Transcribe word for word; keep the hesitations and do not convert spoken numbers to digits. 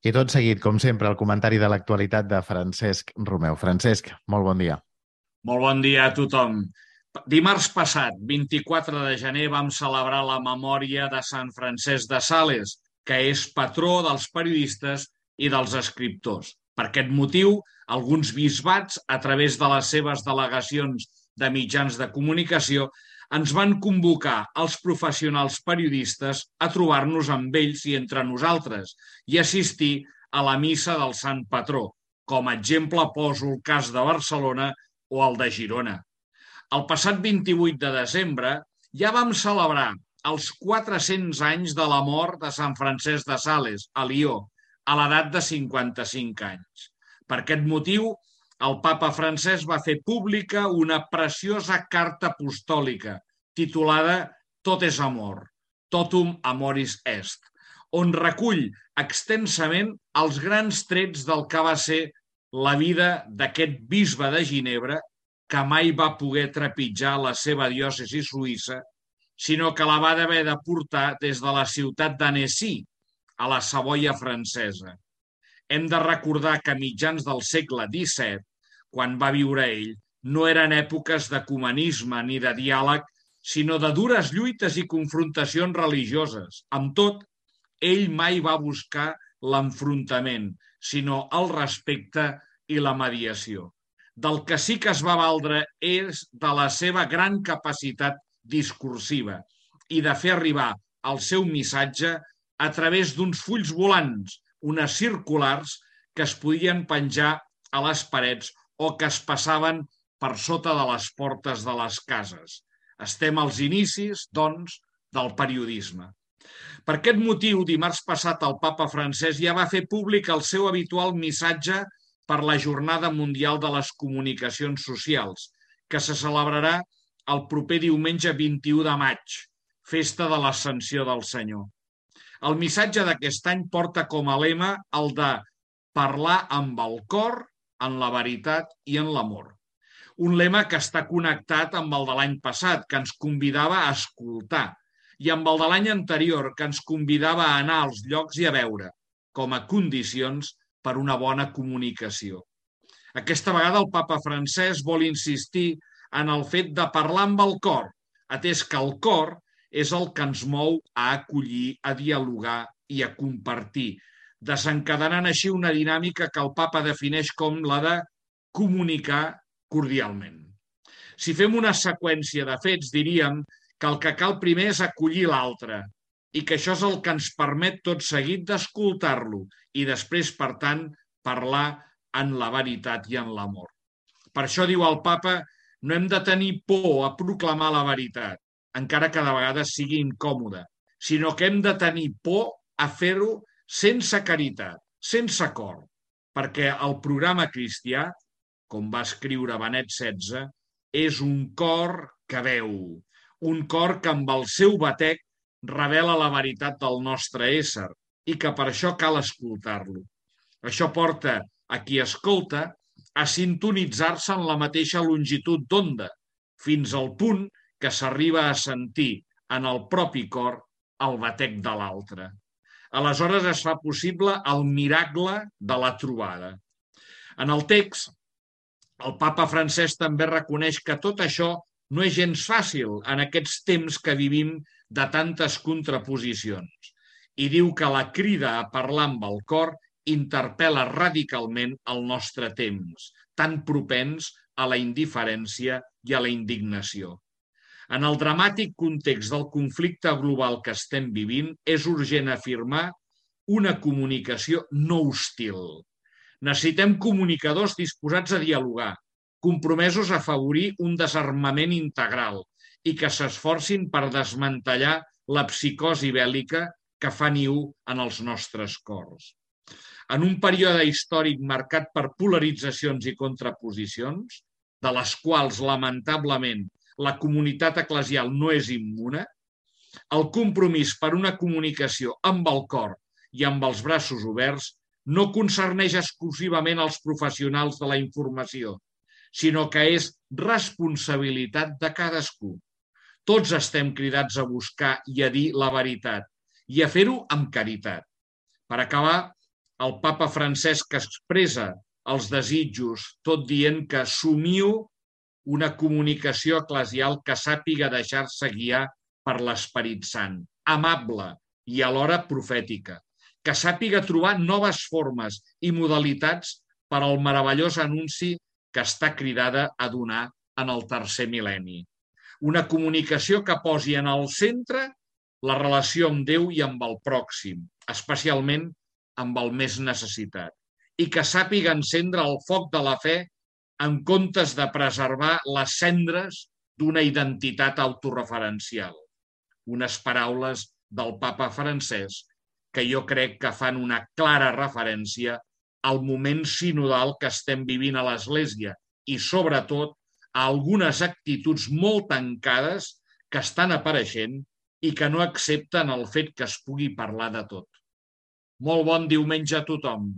I tot seguit, com sempre, el comentari de l'actualitat de Francesc Romeu. Francesc, molt bon dia. Molt bon dia a tothom. Dimarts passat, vint-i-quatre de gener, vam celebrar la memòria de Sant Francesc de Sales, que és patró dels periodistes i dels escriptors. Per aquest motiu, alguns bisbats, a través de les seves delegacions de mitjans de comunicació, ens van convocar als professionals periodistes a trobar-nos amb ells i entre nosaltres i assistir a la missa del Sant Patró. Com a exemple poso el cas de Barcelona o el de Girona. El passat vint-i-vuit de desembre ja vam celebrar els quatre-cents anys de la mort de Sant Francesc de Sales, a Lió, a l'edat de cinquanta-cinc anys. Per aquest motiu, el papa Francesc va fer pública una preciosa carta apostòlica titulada Tot és amor, Totum amoris est, on recull extensament els grans trets del que va ser la vida d'aquest bisbe de Ginebra, que mai va poder trepitjar la seva diòcesi suïssa, sinó que la va haver de portar des de la ciutat d'Annecy, a la Savoia francesa. Hem de recordar que a mitjans del segle disset, quan va viure ell, no eren èpoques d'ecumenisme ni de diàleg, sinó de dures lluites i confrontacions religioses. Amb tot, ell mai va buscar l'enfrontament, sinó el respecte i la mediació. Del que sí que es va valdre és de la seva gran capacitat discursiva i de fer arribar el seu missatge a través d'uns fulls volants, unes circulars que es podien penjar a les parets o que es passaven per sota de les portes de les cases. Estem als inicis, doncs, del periodisme. Per aquest motiu, dimarts passat el papa Francesc ja va fer públic el seu habitual missatge per la Jornada Mundial de les Comunicacions Socials, que se celebrarà el proper diumenge vint-i-u de maig, festa de l'Ascensió del Senyor. El missatge d'aquest any porta com a lema el de parlar amb el cor, en la veritat i en l'amor. Un lema que està connectat amb el de l'any passat, que ens convidava a escoltar, i amb el de l'any anterior, que ens convidava a anar als llocs i a veure, com a condicions per una bona comunicació. Aquesta vegada el papa Francesc vol insistir en el fet de parlar amb el cor, atès que el cor és el que ens mou a acollir, a dialogar i a compartir, desencadenant així una dinàmica que el papa defineix com la de comunicar cordialment. Si fem una seqüència de fets, diríem que el que cal primer és acollir l'altre i que això és el que ens permet tot seguit d'escoltar-lo i després, per tant, parlar en la veritat i en l'amor. Per això, diu el papa, no hem de tenir por a proclamar la veritat, encara que de vegades sigui incòmode, sinó que hem de tenir por a fer-ho sense caritat, sense cor, perquè el programa cristià, com va escriure Benet setze, és un cor que veu, un cor que amb el seu batec revela la veritat del nostre ésser i que per això cal escoltar-lo. Això porta a qui escolta a sintonitzar-se en la mateixa longitud d'onda, fins al punt que s'arriba a sentir en el propi cor el batec de l'altre. Aleshores es fa possible el miracle de la trobada. En el text, el papa Francesc també reconeix que tot això no és gens fàcil en aquests temps que vivim de tantes contraposicions i diu que la crida a parlar amb el cor interpel·la radicalment el nostre temps, tan propens a la indiferència i a la indignació. En el dramàtic context del conflicte global que estem vivint, és urgent afirmar una comunicació no hostil. Necessitem comunicadors disposats a dialogar, compromesos a afavorir un desarmament integral i que s'esforcin per desmantellar la psicosi bèl·lica que fa niu en els nostres cors. En un període històric marcat per polaritzacions i contraposicions, de les quals, lamentablement, la comunitat eclesial no és immune, el compromís per una comunicació amb el cor i amb els braços oberts no concerneix exclusivament els professionals de la informació, sinó que és responsabilitat de cadascú. Tots estem cridats a buscar i a dir la veritat i a fer-ho amb caritat. Per acabar, El papa Francesc expressa els desitjos tot dient que somiu una comunicació eclesial que sàpiga deixar-se guiar per l'Esperit Sant, amable i alhora profètica, que sàpiga trobar noves formes i modalitats per al meravellós anunci que està cridada a donar en el tercer mil·lenni. Una comunicació que posi en el centre la relació amb Déu i amb el pròxim, especialment amb el més necessitat, i que sàpiga encendre el foc de la fe en comptes de preservar les cendres d'una identitat autoreferencial. Unes paraules del papa Francesc que jo crec que fan una clara referència al moment sinodal que estem vivint a l'Església i, sobretot, a algunes actituds molt tancades que estan apareixent i que no accepten el fet que es pugui parlar de tot. Molt bon diumenge a tothom.